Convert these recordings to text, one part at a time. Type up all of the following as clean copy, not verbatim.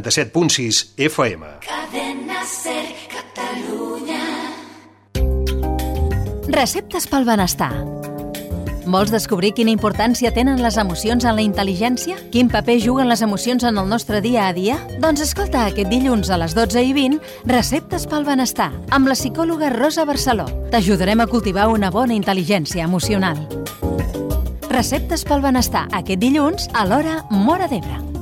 97.6 FM. Cadena Ser Catalunya. Receptes pel benestar. Vols descobrir quina importància tenen les emocions en la intel·ligència? Quin paper juguen les emocions en el nostre dia a dia? Doncs escolta aquest dilluns a les 12:20 Receptes pel benestar amb la psicòloga Rosa Barceló. T'ajudarem a cultivar una bona intel·ligència emocional. Receptes pel benestar aquest dilluns a l'hora Móra d'Ebre.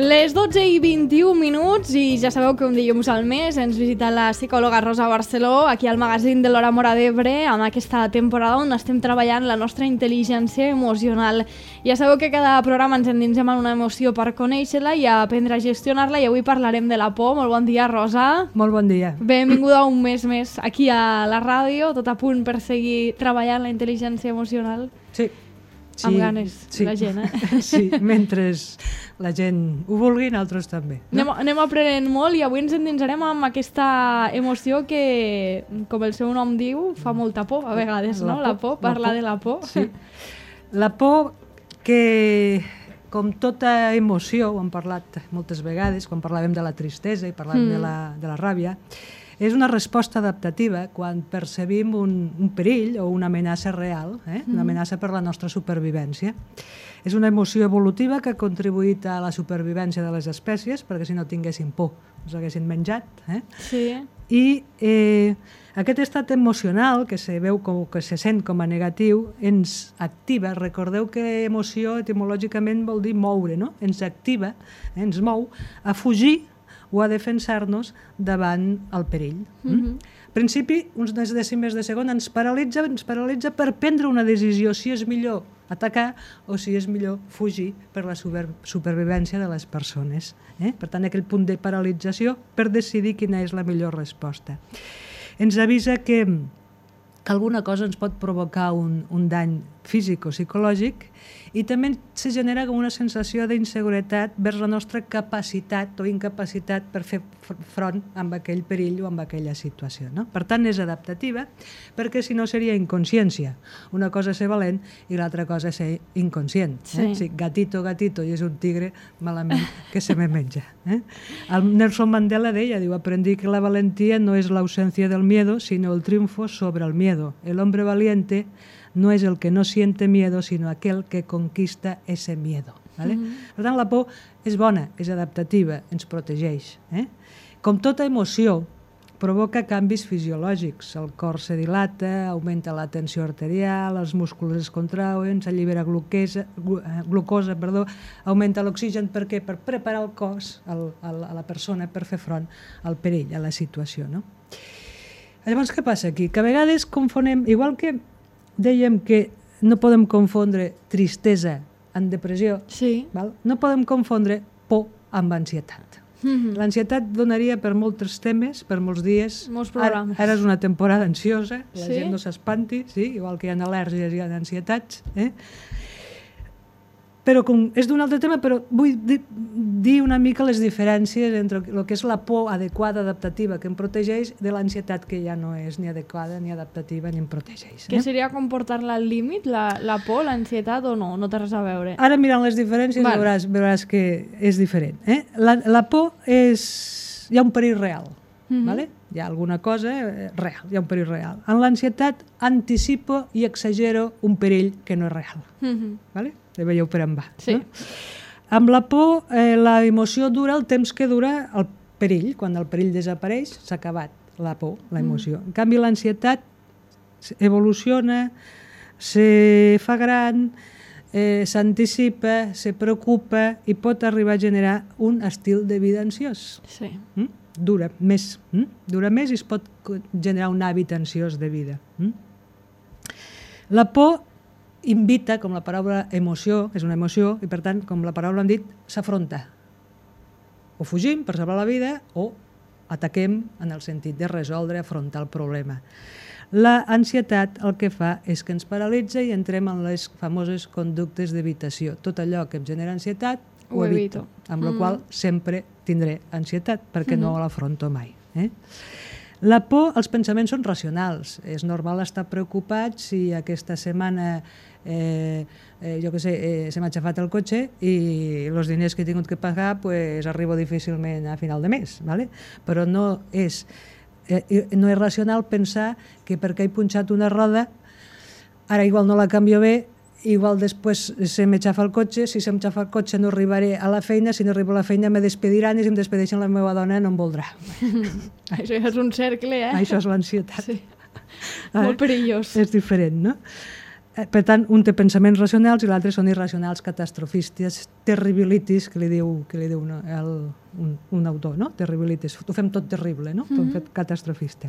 Les 12:21 i ja sabeu que un dilluns al mes ens visita la psicòloga Rosa Barceló aquí al magazín de l'Hora Móra d'Ebre amb aquesta temporada on estem treballant la nostra intel·ligència emocional. Ja sabeu que cada programa ens endinsem en una emoció per conèixer-la i aprendre a gestionar-la i avui parlarem de la por. Molt bon dia, Rosa. Molt bon dia. Benvinguda un mes més aquí a la ràdio, tot a punt per seguir treballant la intel·ligència emocional. Sí. Amb ganes, sí. la gent, Sí, mentre la gent ho vulgui, nosaltres també. No? Anem aprenent molt i avui ens endinsarem amb aquesta emoció que, com el seu nom diu, fa molta por a vegades, no? La por, parlar de la por. Sí. La por que, com tota emoció, ho hem parlat moltes vegades, quan parlàvem de la tristesa i parlàvem de la ràbia, és una resposta adaptativa quan percebim un perill o una amenaça real, una amenaça per la nostra supervivència. És una emoció evolutiva que ha contribuït a la supervivència de les espècies, perquè si no tinguessin por ens haguessin menjat. Sí. I aquest estat emocional que se veu que se sent com a negatiu ens activa. Recordeu que emoció etimològicament vol dir moure, no? Ens activa, ens mou a fugir o a defensar-nos davant el perill. Al principi, uns decímetres de segon ens paralitza per prendre una decisió, si és millor atacar o si és millor fugir per la supervivència de les persones. Per tant, aquell punt de paralització per decidir quina és la millor resposta. Ens avisa que alguna cosa ens pot provocar un dany físic o psicològic i també se genera com una sensació d'inseguretat vers la nostra capacitat o incapacitat per fer front amb aquell perill o amb aquella situació. No? Per tant, és adaptativa perquè si no seria inconsciència. Una cosa és ser valent i l'altra cosa és ser inconscient. Sí, gatito, i és un tigre malament que se me menja. El Nelson Mandela deia, diu, aprendí que la valentía no es la ausencia del miedo, sino el triunfo sobre el miedo. El hombre valiente no és el que no siente miedo, sinó aquel que conquista ese miedo. ¿Vale? Per tant, la por és bona, és adaptativa, ens protegeix. Com tota emoció, provoca canvis fisiològics. El cor se dilata, augmenta la tensió arterial, els músculs es contrauen, s'allibera glucosa, augmenta l'oxigen. Per què? Per preparar el cos a la persona per fer front al perill, a la situació. No? Llavors, què passa aquí? Que a vegades confonem, igual que dèiem que no podem confondre tristesa amb depressió, no podem confondre por amb ansietat. L'ansietat donaria per molts temes, per molts dies. Molts programes. Ara és una temporada ansiosa, la gent no s'espanti, igual que hi ha al·lèrgies, hi ha ansietats. Però és d'un altre tema, però vull dir una mica les diferències entre el que és la por adequada, adaptativa, que em protegeix, de l'ansietat que ja no és ni adequada, ni adaptativa, ni em protegeix. Què seria comportar-la al límit, la por, l'ansietat o no? No té res a veure. Ara mirant les diferències veuràs que és diferent. La por és... Hi ha un perill real. Hi ha alguna cosa real, hi ha un perill real. En l'ansietat anticipo i exagero un perill que no és real. Ja veieu per on va. Amb la por, la emoció dura el temps que dura el perill. Quan el perill desapareix, s'ha acabat la por, la emoció. En canvi, l'ansietat evoluciona, se fa gran, s'anticipa, se preocupa i pot arribar a generar un estil de vida ansiós. Dura més i es pot generar un hàbit ansiós de vida. La por invita, com la paraula emoció, és una emoció, i per tant, com la paraula hem dit, s'afronta. O fugim per salvar la vida o ataquem en el sentit de resoldre, afrontar el problema. La ansietat el que fa és que ens paralitza i entrem en les famoses conductes d'evitació. Tot allò que em genera ansietat ho evito. Amb la qual sempre tindré ansietat, perquè no l'afronto mai. La por, els pensaments són racionals. És normal estar preocupat si aquesta setmana jo què sé, se m'ha aixafat el cotxe i els diners que he tingut que pagar pues, arribo difícilment a final de mes, ¿vale? Però no és racional pensar que perquè he punxat una roda ara igual no la canvio bé, igual després se m'aixafa el cotxe, si se m'aixafa el cotxe no arribaré a la feina, si no arribo a la feina me despediran i si em despedeixen la meva dona no em voldrà. Això ja és un cercle, Això és l'ansietat. Sí. Molt perillós. És diferent, no? Per tant, un té pensaments racionals i l'altre són irracionals, catastrofistes, terribilitis, que li diu no, un autor, no? Terribilitis. Ho fem tot terrible, no? Ho hem fet catastrofista.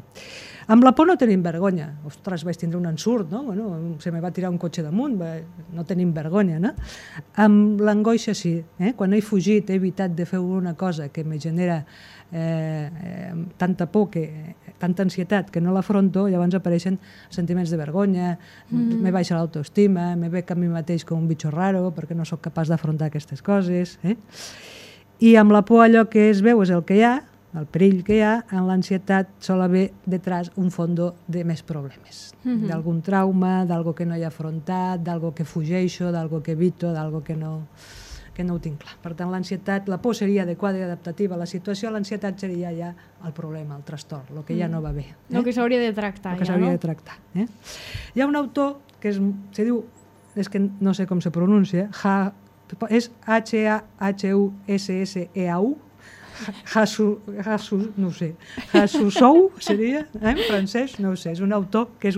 Amb la por no tenim vergonya. Ostres, vaig tindre un ensurt, no? Bueno, se me va tirar un cotxe damunt, no tenim vergonya, no? Amb l'angoixa sí. Quan he fugit, he evitat de fer una cosa que me genera tanta por, tanta ansietat que no l'afronto, llavors apareixen sentiments de vergonya, me baixa l'autoestima, me veig a mi mateix com un bitxo raro perquè no sóc capaç d'afrontar aquestes coses. I amb la por allò que es veu és el que hi ha, el perill que hi ha, en l'ansietat sol haver detrás un fondo de més problemes, d'algun trauma, d'algo que no he afrontat, d'algo que fugeixo, d'algo que evito, d'algo que no ho tinc clar. Per tant, l'ansietat, la por seria adequada i adaptativa a la situació, l'ansietat seria ja el problema, el trastorn, el que ja no va bé. El que s'hauria de tractar, ja, no? El que s'hauria de tractar. Hi ha un autor que se diu, és que no sé com se pronuncia, és H-A-H-U-S-S-E-A-U, no sé, Hasussou seria, en francès, no ho sé, és un autor que es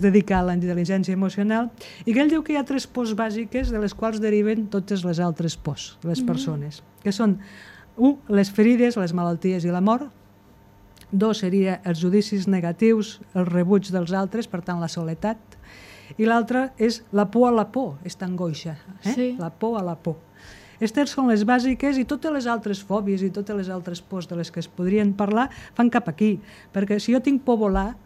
dedica a la intel·ligència emocional i que ell diu que hi ha 3 pors bàsiques de les quals deriven totes les altres pors de les persones, que són 1, les ferides, les malalties i la mort, 2 seria els judicis negatius, el rebuig dels altres, per tant la soledat, i l'altra és la por a la por, aquesta angoixa, la por a la por. Aquestes són les bàsiques i totes les altres fòbies i totes les altres pors de les que es podrien parlar fan cap aquí, perquè si jo tinc por volar,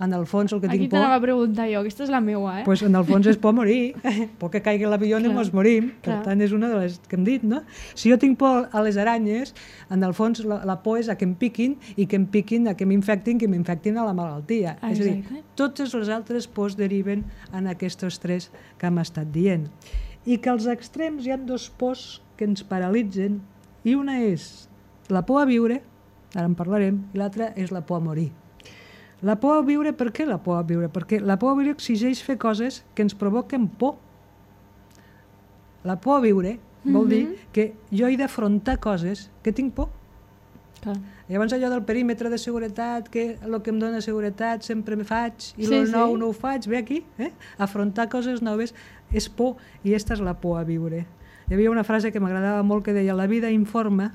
en el fons el que tinc por... Aquí t'anava a preguntar jo, aquesta és la meua, Pues en el fons és por morir, por que caigui l'avió i ens morim, per tant és una de les que hem dit, no? Si jo tinc por a les aranyes, en el fons la por és a que em piquin i que em piquin, a que m'infectin, que m'infectin a la malaltia. És a dir, totes les altres pors deriven en aquests 3 que hem estat dient. I que als extrems hi ha 2 pors que ens paralitzen i una és la por a viure, ara en parlarem, i l'altra és la por a morir. La por a viure, per què la por a viure? Perquè la por a viure exigeix fer coses que ens provoquen por. La por a viure vol dir que jo he d'afrontar coses que tinc por. Llavors allò del perímetre de seguretat, que el que em dona seguretat sempre me faig i el nou no ho faig, ve aquí, afrontar coses noves és por i aquesta és la por a viure. Hi havia una frase que m'agradava molt que deia la vida informa,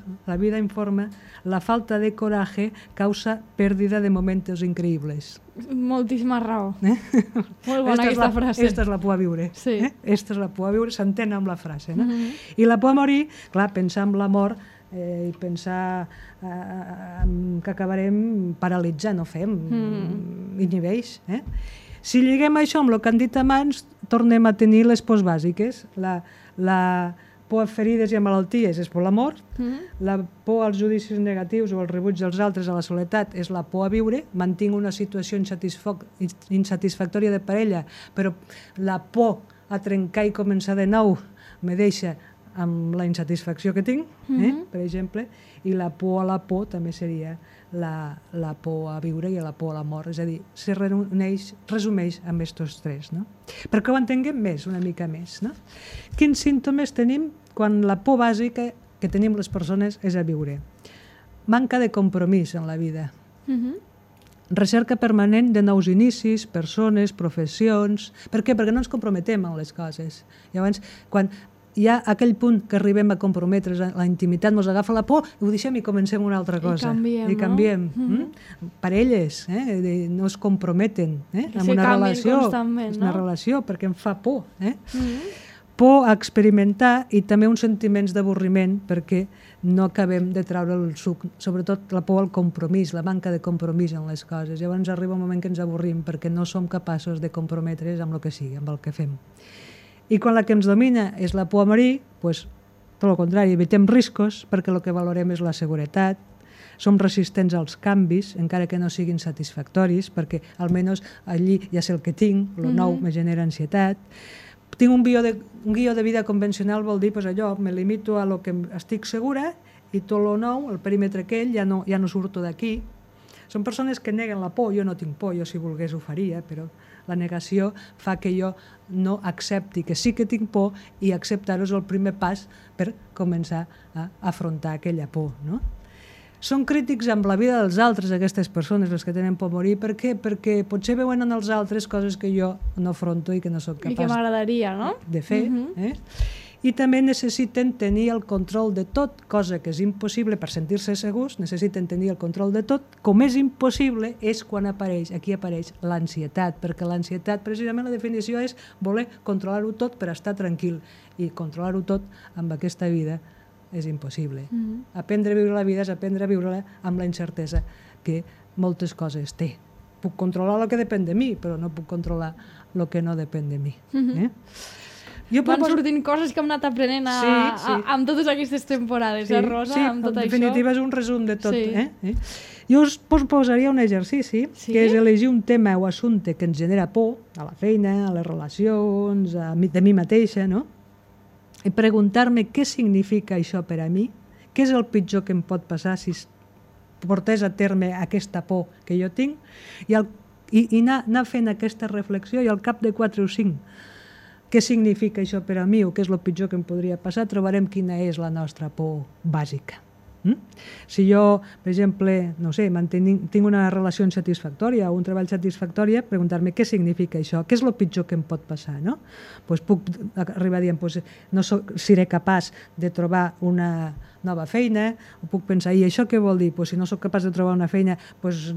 la falta de coraje causa pérdida de momentos increïbles. Moltíssima raó. Molt bona aquesta frase. Esta és la por a viure. Esta és la por a viure, s'entén amb la frase. I la por a morir, clar, pensar en la mort i pensar que acabarem paralitzant, no fem, inhibeix. Si lliguem això amb el que han dit abans, tornem a tenir les pors bàsiques. La por a ferides i a malalties és por a la mort, la por als judicis negatius o al rebuig dels altres a la soledat és la por a viure, mantinc una situació insatisfactòria de parella, però la por a trencar i començar de nou me deixa amb la insatisfacció que tinc, per exemple, i la por a la por també seria la por a viure i la por a la mort, és a dir, se resumeix amb aquests 3, no? Perquè ho entenguem més, una mica més, no? Quins símptomes tenim quan la por bàsica que tenim les persones és a viure? Manca de compromís en la vida. Recerca permanent de nous inicis, persones, professions... Per què? Perquè no ens comprometem en les coses. Llavors, quan hi ha aquell punt que arribem a comprometre's, la intimitat ens agafa la por, ho deixem i comencem una altra cosa. I canviem, no? Parelles no es comprometen en una relació. És una relació perquè em fa por. Por a experimentar i també uns sentiments d'avorriment perquè no acabem de treure el suc, sobretot la por al compromís, la manca de compromís en les coses. Llavors arriba un moment que ens avorrim perquè no som capaços de comprometre's amb el que sigui, amb el que fem. I quan la que ens domina és la por a morir, doncs tot el contrari, evitem riscos perquè el que valorem és la seguretat, som resistents als canvis, encara que no siguin satisfactoris, perquè almenys allí ja sé el que tinc, el nou me genera ansietat. Tinc un guió de vida convencional, vol dir, allò, me limito a lo que estic segura i tot el nou, el perímetre aquell, ja no surto d'aquí. Són persones que neguen la por, jo no tinc por, jo si volgués ho faria, però la negació fa que jo no accepti que sí que tinc por i acceptar-ho és el primer pas per començar a afrontar aquella por, no? Són crítics amb la vida dels altres, aquestes persones, les que tenen por a morir. Per què? Perquè potser veuen en els altres coses que jo no afronto i que no sóc capaç I que m'agradaria, no? de fer. I també necessiten tenir el control de tot, cosa que és impossible per sentir-se segurs, necessiten tenir el control de tot. Com és impossible és quan aquí apareix l'ansietat, perquè l'ansietat, precisament la definició és voler controlar-ho tot per estar tranquil, i controlar-ho tot amb aquesta vida és impossible. Aprendre a viure la vida és aprendre a viure-la amb la incertesa que moltes coses té. Puc controlar el que depèn de mi, però no puc controlar el que no depèn de mi. Van sortint coses que hem anat aprenent amb totes aquestes temporades, Rosa? Sí, amb tot en definitiva és un resum de tot. Sí. Jo us posaria un exercici, que és elegir un tema o assumpte que ens genera por, a la feina, a les relacions, de mi mateixa, no? I preguntar-me què significa això per a mi, què és el pitjor que em pot passar si portés a terme aquesta por que jo tinc, i anar fent aquesta reflexió, i al cap de 4 o 5, què significa això per a mi o què és el pitjor que em podria passar, trobarem quina és la nostra por bàsica. Si jo, per exemple, no sé, tinc una relació insatisfactòria o un treball satisfactori, preguntar-me què significa això, què és el pitjor que em pot passar, no? Puc arribar dient, no seré capaç de trobar una nova feina, o puc pensar, i això què vol dir? Si no sóc capaç de trobar una feina,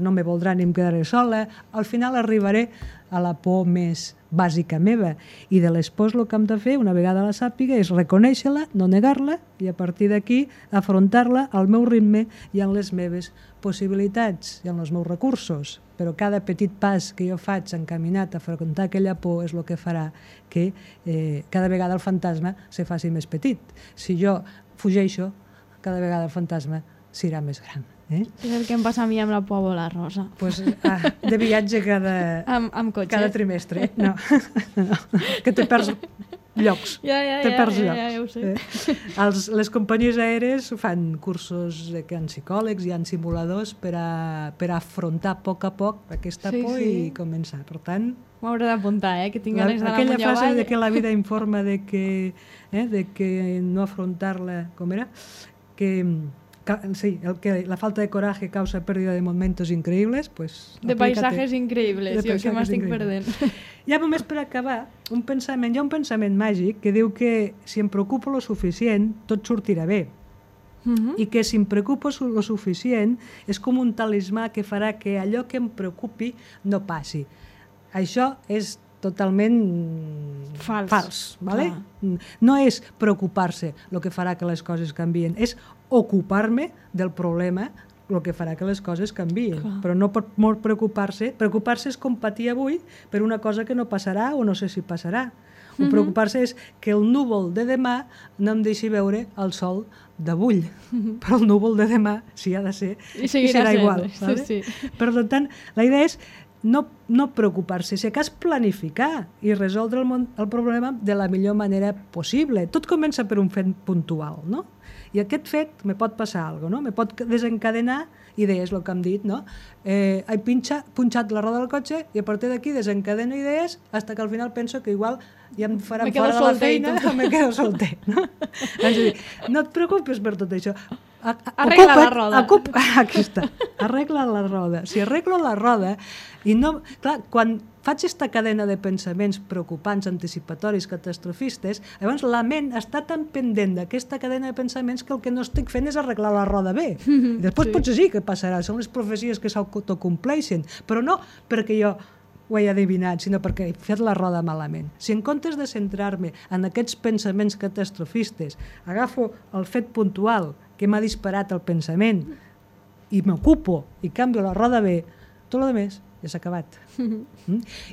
no me voldrà ni em quedaré sola. Al final arribaré a la por més bàsica meva, i de les pors el que hem de fer, una vegada la sàpiga, és reconèixer-la, no negar-la, i a partir d'aquí afrontar-la al meu ritme i en les meves possibilitats i en els meus recursos. Però cada petit pas que jo faig encaminat a afrontar aquella por és el que farà que cada vegada el fantasma se faci més petit. Si jo fugeixo, cada vegada el fantasma serà més gran. És el que em passa a mi amb la por a volar, Rosa. De viatge amb cotxe. cada trimestre. No, que te perds llocs. Ja ho sé. Les companyies aèries fan cursos que hi ha psicòlegs, hi ha simuladors per a afrontar a poc aquesta por i començar. Per tant, m'ho hauré d'apuntar, que tinc ganes d'anar aquella frase de que la vida informa de que no afrontar-la, com era? La falta de coraje causa pérdida de momentos increíbles, de paisajes increïbles, jo que m'estic perdent. Ja només per acabar, hi ha un pensament màgic que diu que si em preocupo lo suficient, tot sortirà bé. I que si em preocupo lo suficient és com un talismà que farà que allò que em preocupi no passi. Això és totalment fals. ¿Vale? No és preocupar-se el que farà que les coses canvien, és ocupar-me del problema el que farà que les coses canvien. Però no pot molt preocupar-se. Preocupar-se és com patir avui per una cosa que no passarà o no sé si passarà. O preocupar-se és que el núvol de demà no em deixi veure el sol d'avui. Però el núvol de demà, si ha de ser, serà igual. Per tant, la idea és no preocupar-se, si cas planificar i resoldre el problema de la millor manera possible. Tot comença per un fet puntual, no? I aquest fet me pot passar alguna cosa, no? Me pot desencadenar idees, el que hem dit, no? He punxat la roda del cotxe i a partir d'aquí desencadeno idees fins que al final penso que igual ja em faran fora de la feina o me quedo solter, no? No et preocupes per tot això. Arregla la roda. Aquí està. Arregla la roda. Si arreglo la roda i no... Clar, quan faig aquesta cadena de pensaments preocupants, anticipatoris, catastrofistes, llavors la ment està tan pendent d'aquesta cadena de pensaments que el que no estic fent és arreglar la roda bé. I després potser sí que passarà, són les profecies que s'autocompleixen, però no perquè jo ho he adivinat, sinó perquè he fet la roda malament. Si en comptes de centrar-me en aquests pensaments catastrofistes, agafo el fet puntual que m'ha disparat el pensament i m'ocupo i canvio la roda bé, tot el més ja s'ha acabat.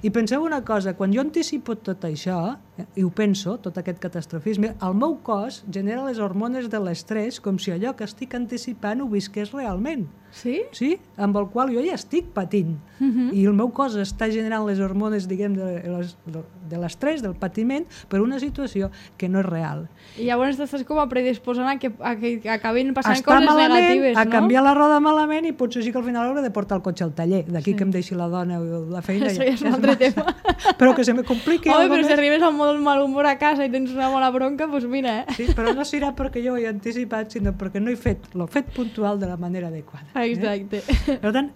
I penseu una cosa, quan jo anticipo tot això, i ho penso, tot aquest catastrofisme, el meu cos genera les hormones de l'estrès com si allò que estic anticipant ho visqués realment. Sí? Sí, amb el qual jo ja estic patint. I el meu cos està generant les hormones, diguem, de l'estrès, del patiment, per una situació que no és real. I llavors t'estàs com a predisposant a que acabin passant coses negatives, no? A canviar la roda malament i potser sí que al final hauré de portar el cotxe al taller. D'aquí que em deixi la dona o la feina. Això ja és un altre tema. Però que se me compliqui Home, algo però més. si arribes amb molt mal humor a casa i tens una bona bronca, doncs mira, Sí, però no serà perquè jo ho he anticipat, sinó perquè no he fet l'he fet puntual de la manera adequada. Exacte. Per tant,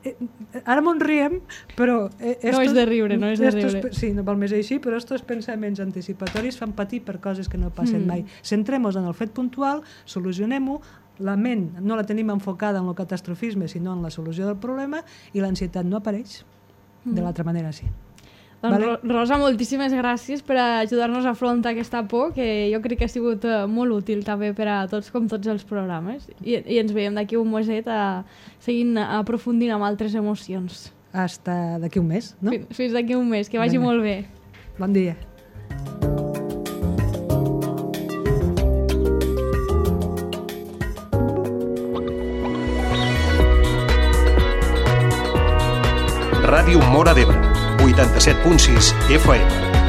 ara m'ho riem, però... No és de riure, no és de riure. Sí, no val més així, però estos pensaments anticipatoris fan patir per coses que no passen mai. Centrem-nos en el fet puntual, solucionem-ho, la ment no la tenim enfocada en el catastrofisme, sinó en la solució del problema, i l'ansietat no apareix. De l'altra manera, sí. Doncs, Vale. Rosa, moltíssimes gràcies per ajudar-nos a afrontar aquesta por, que jo crec que ha sigut molt útil també per a tots, com tots els programes. I ens veiem d'aquí un meset seguint aprofundint amb altres emocions. Hasta d'aquí un mes, no? Fins d'aquí un mes, que vagi Vinga. molt bé. Bon dia. Ràdio Móra d'Ebre, 87.6 FM.